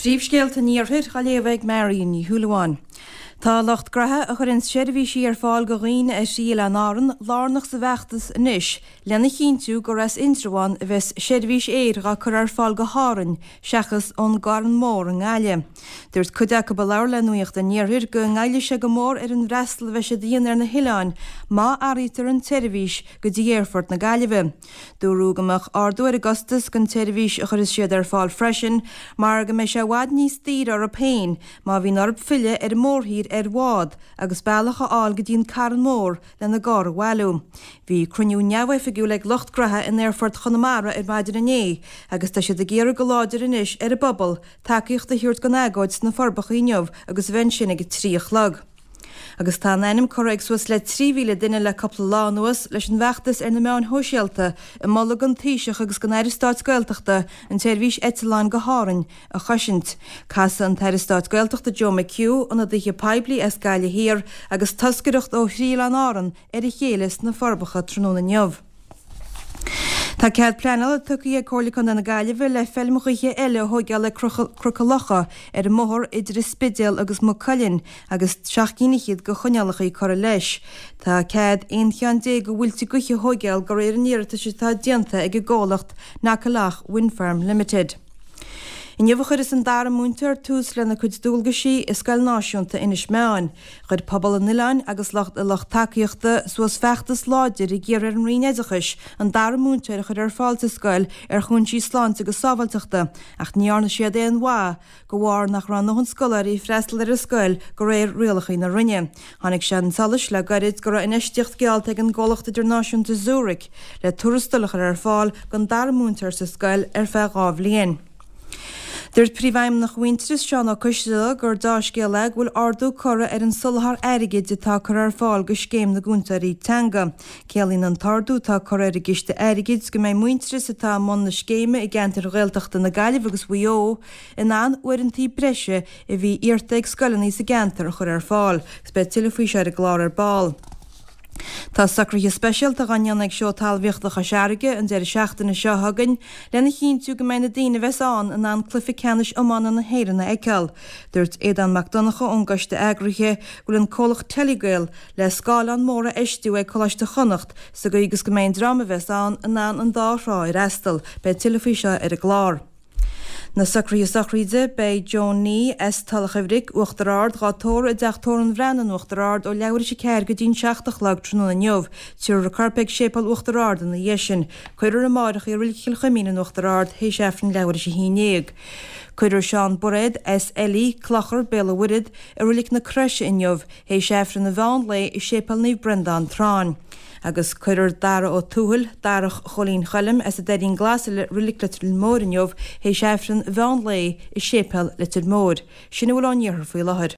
Príomhscéalta an Iarthair á léamh ag Marion Ní Shúilleabháin. Tá lucht graithe a chuireann seirbhísí ar fáil go dhaoine ar thrí Oileáin Árann lárnach sa bhfeachtas anois lena chinntiú gur as Indreabhán a bheas seirbhís aeir dhá cur ar fáil go hÁrainn seachas ón gCarn Mór i nGaillimh. Dúirt cuid acu a labhair le Nuacht an Iarthair go ngoillfidh sé go mór ar an bhfreastal a bheidh siad a dhéanamh ar na hoileáin má athraítear an tseirbhís go dtí Aerfort na Gaillimhe. Dúradh go mbeadh ardú ar an gcostas don tseirbhís a chuirfeas siad ar fáil freisin mar go mbeidh sé i bhfad níos daoire orthu féin má bhíonn orthu filleadh ar an mórthír ar bhád agus bealach a fháil go dtí an Carn Mór lena gcarr a bhailiú. Bhí cruinniú neamhoifigiúil ag lucht graithe in Aerfort Chonamara ar maidin inné agus tá siad ag iarraidh go láidir anois ar an bpobal tacaíocht a thabhairt don agóid sna Forbacha inniu agus a bheith ansin ag a 3 a chlog. Agus tá a n-ainm curtha ag suas le 3,000 duine le cúpla lá anuas leis an bhfeachtas ar na meáin shóisialta ag moladh don Taoiseach agus don Aire Stáit Gaeltachta an tseirbhís eitleáin go hÁrainn a chosaint. Casfaidh an tAire Stáit Gaeltachta Joe McHugh, ionadaithe poiblí as Gaillimh Thiar agus toscaireacht ó thrí Oileán Árann ar a chéile sna Forbacha tráthnóna inniu. Tá cead pleanála tugtha ag Comhairle Contae na Gaillimhe le feilm ghaoithe eile a thóigeáil ag Cnoc an Locha ar an mbóthar idir an Spidéal agus Maigh Cuilinn agus seacht gcinn fhichead de choinneálacha curtha leis. Tá cead 11 cheann de mhuilte gaoithe a thóigeáil de réir an iarratais atá déanta ag an gcomhlacht Knockalough Wind Farm Limited. Inniu a chuirfeas an dara múinteoir tús lena cuid dualgaisí i Scoil Náisiúnta Inis Meáin. Chuir pobal an oileáin agus lucht a lucht tacaíochta suas feachtas láidir ag iarraidh ar an Roinn Oideachais an dara múinteoir a chur ar fáil sa scoil ar chúinsí sláinte agus sábháilteachta ach ní dhearna siad aon mhaith de bharr nach raibh a ndóthain scoláirí ag freastal ar an scoil de réir rialacha na Roinne. Tháinig sé chun solais le gairid go raibh infheistíocht geallta ag an gcomhlacht idirnáisiúnta Zurich le tuarastal a chur ar fáil don dara múinteoir sa scoil ar feadh 2 bhliain. Dúirt Príomhfheidhmeannach Mhuintearas, Seán Ó Coisdealbha, gur deá-scéal é go bhfuil ardú curtha ar an soláthar airgid atá curtha ar fáil go Scéim na gCúntóirí Teanga. Ciallaíonn an t-ardú atá curtha ar an gciste airgid go mbeidh Muintearas atá i mbun na scéime i gceantair Ghaeltachta na Gaillimhe agus Mhaigh Eo in ann uaireanta breise a bhí iarrta ag scoileanna sa gceantar a chur ar fáil agus beidh tuilleadh faoi seo ar an gclár ar ball. Tá socruithe speisialta dhá ndéanamh ag Seó Talmhaíochta Chois Fharraige an deireadh seachtaine seo chugainn lena chinntiú go mbeidh na daoine a bheas ann in ann cluiche ceannais iomána na hÉireann a fheiceáil. Dúirt Aodán Mac Donncha ón gcoiste eagraithe go bhfuil an comhlacht Telegael le scáileán mór a fheistiú ag Coláiste Chonnacht sa gcaoi agus go mbeidh an dream a bheas ann in ann an dá thrá a fhreastal. Beidh tuilleadh faoi seo ar an gclár. Na socruithe sochraide, beidh Joan Nee as Tulach an Bhric, Uachtar Ard, dhá tórramh i dTeach Tórraimh an Bhreathnaigh in Uachtar Ard ó leathuair théis 4 go dtí'n 7 a chlog tráthnóna inniu. Tabharfar a corp ag Séipéal Uachtar Ard ina dhiaidh sin. Cuirfear amáireach í i Reilig Chill Chuimín in Uachtar Ard théis Aifreann leathuair théis 11. Cuirfear Seán Bairéad as Eilí, Clochar, Béal an Mhuirthead, i Reilig na Croise inniu théis Aifreann an mheán lae i Séipéal Naomh Breandán, Tráinn. Agus cuirfear Dara Ó Tuathail, Darach Chóilín Choilm, as an Doirín Glas i Reilig Leitir Móir inniu théis Aifreann mheán lae i Séipéal Leitir Móir. Sin a bhfuil ón iarthar faoi láthair.